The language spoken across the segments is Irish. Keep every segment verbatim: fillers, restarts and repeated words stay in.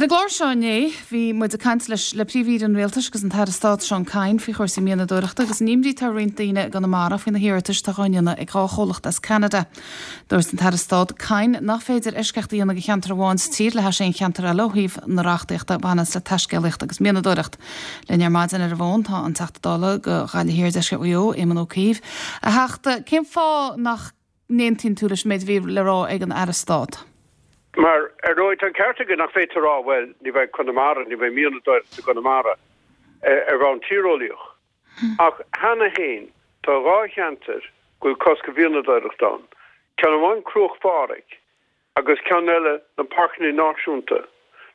Ar an gclár seo inné bhí muid ag caint leis le Príomh-Aoire an Rialtais agus an tAire Stáit Seán Kyne faoi chúrsaí mianadóireachta agus an imní atá ar roinnt daoine i gConamara faoi na hiarratais atá á ndéanamh ag dhá chomhlacht as Ceanada. Dúirt an tAire Stáit Kyne nach féidir eisceacht a dhéanamh do cheantar amháin sa tír le hais aon cheantar eile ó thaobh na reachtaíochta a bhaineanns le taiscéalaíocht agus mianadóireacht. Linn ar maidin ar an bhfón tá an Teachta Dála do Ghaillimh Thiar Deisceart Mhaigh Eo, Éamon Ó Cuív. A Theachta, cén fáth nach n-aontaíonn tú leis an méid a bhí le rá ag an Aire Stáit? Mar ar ndóigh tá an ceart aige nach féidir rá bhuel ní bheidh Conamara, ní bheidh mianadóireacht i gConamara ar bhonn tíreolaíoch. Ach cheana féin tá dhá cheantar go bhfuil cosc ar mhianadóireacht ann. Ceann amháin Cruach Phádraig agus ceann eile na Páirceanna Náisiúnta.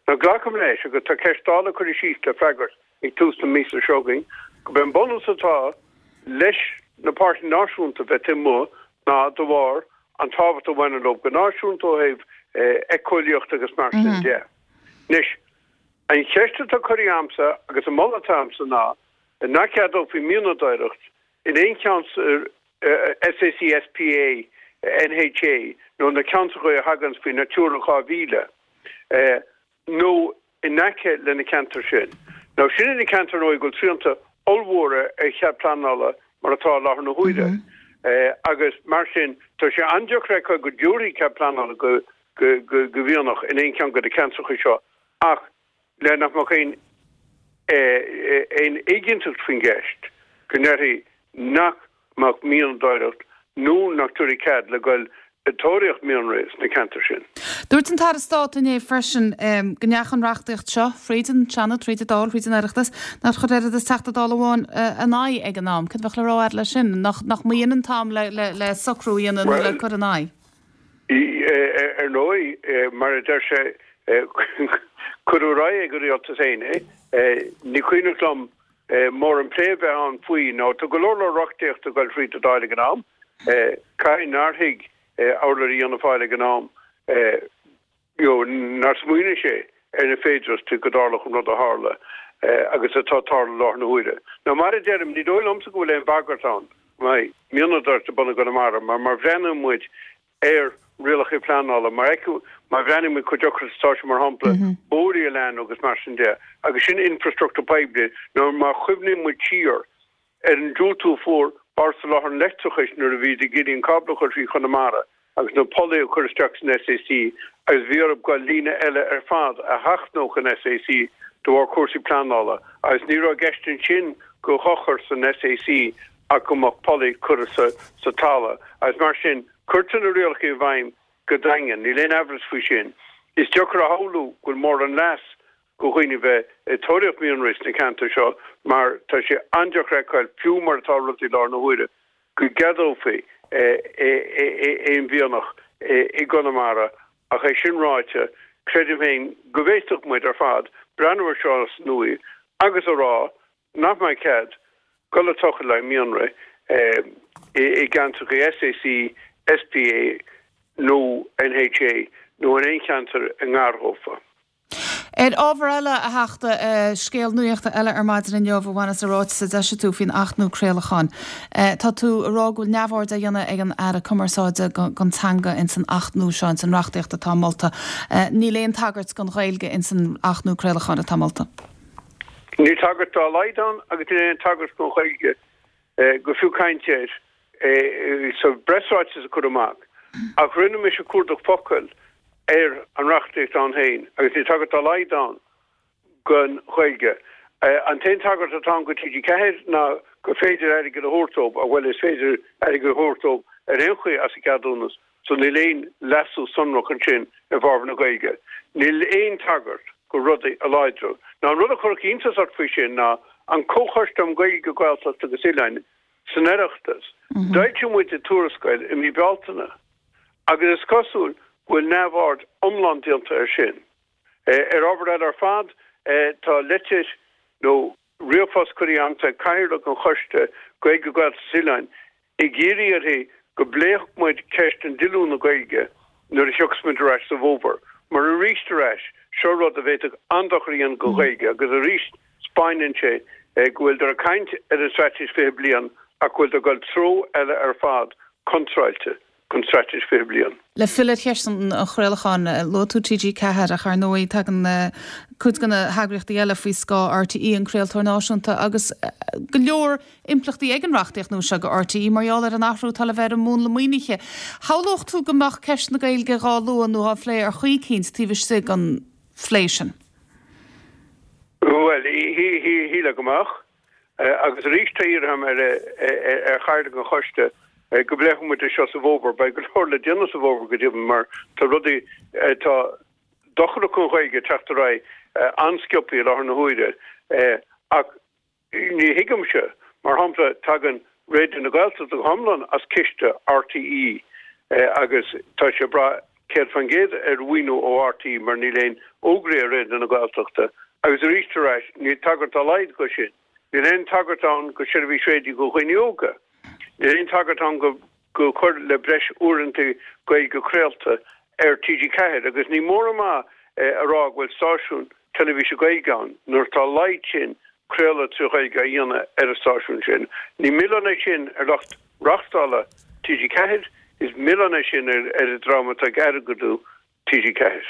Now glacaim leis agus tá ceist Dála curtha síos le freagairt ag tús na míosa seo chugainn gurb é an bunús atá leis na Páirceanna Náisiúnta bheith taobh amuigh ná de bharr an tábhacht a bhaineann leo go náisiúnta ó thaobh éiceolaíocht agus mar sin de. Anois, an cheist atá curtha agamsa agus an moladh atá agamsa ná nach gceadófaí mianadóireacht in aon cheann SAC, SPA, NHA nó na ceantracha a thagann faoi Natura dhá mhíle nó in aice le na ceantair sin. Now sin na ceantair nó go bhfuil srianta ollmhóra ar chead pleanála mar atá i láthair na huaire. Agus mar sin tá sé an-deacair go dtabharfaí cead pleanála go go go mhianach in aon cheann de na ceantracha seo ach le nach mbeadh aon aon éiginnteacht faoin gceist go ndéarfaí nach mbeadh mianadóireacht nó nach dtabharfaí cead le goil ag tóraíocht mianraí sna ceantair sin. Dúirt an tAire Stáit inné freisin go ndeachaigh an reachtaíocht seo fríd an Seanad, fríd an Dáil, fríd an Oireachtas, nár chuir oiread is Teachta Dála amháin in aghaidh ag an am. Cad a bheadh le rá agat leis sin? Nach nach mb'in an t-am le le le socrú a dhéanamh nó le cur in aghaidh? Ar ndóigh, mar a deir sé, cuireadh ar aghaidh ag an rialtas féin é. Ní cuimhneach liom mórán plé a bheith ann faoi nó tá go leor leor reachtaíocht ag dul fríd an Dáil ag an am. Caithfidh nár thuig urlabhraí Fhianna Fáil ag an am you know, nár smaoinigh sé ar na féidearthachtaí go dtarlódh an rud a tharla agus atá ag tarlú i láthair na huaire. Now mar a deirim, ní dóigh liomsa go bhfuil aon bhagairt ann go mbeidh mianadóireacht ar bun i gConamara mar má bhreathnaíonn muid ar rialacha pleanála mar má bhreathnaíonn muid chomh deacair is atá sé mar shampla bóithre a leathnú agus mar sin de agus sin infrastruchtúr poiblí nó má chuimhníonn muid siar ar an diúltú a fuair Bord Soláthair an Leictreachais nuair a bhí ag iarraidh an cábla a chur trí Chonamara agus na pollaí a chur isteach san SAC agus bhí orthu goil líne eile ar fad a sheachnódh an SAC de bharr cúrsaí pleanála agus ní raibh i gceist ansin go dhochar san SAC ach go mbeadh pollaí curtha sa talamh agus mar sin cuirtear na rialacha i bhfeidhm go daingean, níl aon amhras faoi sin. Is deacair a shamhlú go bhfuil mórán leas go dhaoine bheith ag tóraíocht mianraí sna ceantair seo mar tá sé an-deacair a fheiceáil, fiú mar atá rudaí i láthair na huaire, go gceadófaí aon mhianach i gConamara ach é sin ráite, creidim féin go bhféadfadh muid ar fad breathnú ar seo as an nua agus a rá nach mbeidh cead dul ag tochailt le mianraí i gceantracha SAC, SPA nó NHA nó in aon cheantar i ngar dhófa. Ar ábhar eile, a Theachta, scéal nuachta eile ar maidin inniu a bhaineas le ráiteas a d'eisigh tú faoin Acht nua Craolacháin. Tá tú ag rá go bhfuil neamhaird á dhéanamh ag an Aire Cumarsáide don teanga ins an Acht nua seo, ins an reachtaíocht atá molta. Níl aon tagairt don Ghaeilge ins an Acht nua Craolacháin atá molta. Níl tagairt dá laghad ann agus níl aon tagairt don Ghaeilge go fiú caint air sa bpreasráiteas a cuireadh amach. Ach rinne mise cuardach focal ar an reachtaíocht ann féin agus níl tagairt dá laghad ann don Ghaeilge. An t-aon tagairt atá ann go TG Ceathair ná gur féidir airgead a thabhairt dóibh, bhuel is féidir airgead a thabhairt dóibh ar aon chaoi as an gceadúnas, so níl aon leasú sonrach ansin i bhfabhar na Gaeilge. Níl aon tagairt go rudaí a láidriú. Now an rud a chuirfeadh iontas ort faoi sin ná an Comhchoiste um Gaeilge, Gaeltacht agus Oileáin san Oireachtas, d'fhoilsigh muid tuarascáil i mí Bealtaine agus is cosúil go bhfuil neamhaird iomlán déanta air sin. Ar ábhar eile ar fad, tá litir nó ríomhphost curtha agamsa ag Cathaoirleach an Choiste Gaeilge, Gaeltacht is Oileáin ag iarraidh uirthi go bpléifeadh muid ceist an díolúine Gaeilge nuair a thiocfas muid ar ais sa bhfómhar. Mar arís ar ais, seo rud a bhféadfadh an-dochar a dhéanamh don Ghaeilge agus arís 'speáineann sé go bhfuiltear ag caint ar an Straitéis Fiche Bliain ach go bhfuiltear ag dul treo eile ar fad, contráilte. don Straitéis Fiche Bliain. Le filleadh ar cheist an chraolacháin, luaigh tú T G Ceathair ach ar ndóigh tagann cuid de na heagraíochtaí eile faoi scáth R T E, an craoltóir náisiúnta, agus go leor impleachtaí ag an reachtaíocht nua seo go R T E mar gheall ar an athrú atá le bheith ar an múnla maoinithe. Shamhlódh tú go mbeadh ceist na Gaeilge dhá lua nó á phlé ar chaoi éicint taobh istigh den phlé sin? Well, shílfeá go mbeadh agus arís tá iarrtha ar ar chathaoirleach an choiste go bpléifidh muid seo sa bhfómhar. Beidh go leor le déanamh sa bhfómhar go deimhin, mar tá rudaí tá dochrach an Ghaeilge teacht ar aghaidh an-sciobtha i láthair na huaire, ach ní thuigimse, mar shampla, tagann Raidió na Gaeltachta go hiomlán as ciste R T E agus tá sé bra céad faoin gcéad ar mhaoiniú ó R T E mar níl aon fhógraí ar Raidió na Gaeltachta agus arís arís níl tagairt dá laghad go sin. Níl aon tagairt ann go seirbhís raidió go dhaoine óga. Níl aon tagairt ann go go cur le breis uaireanta Gaeilge craolta ar T G Ceathair agus ní mór amach a rá go bhfuil stáisiún teilifíse Gaeilge ann nuair tá laghad sin craoladh trí Ghaeilge a dhéanamh ar an stáisiún sin. Ní milleán é sin ar lucht reáchtála T G Ceathair, is milleán é sin ar ar an dream atá ag airgeadú T G Ceathair.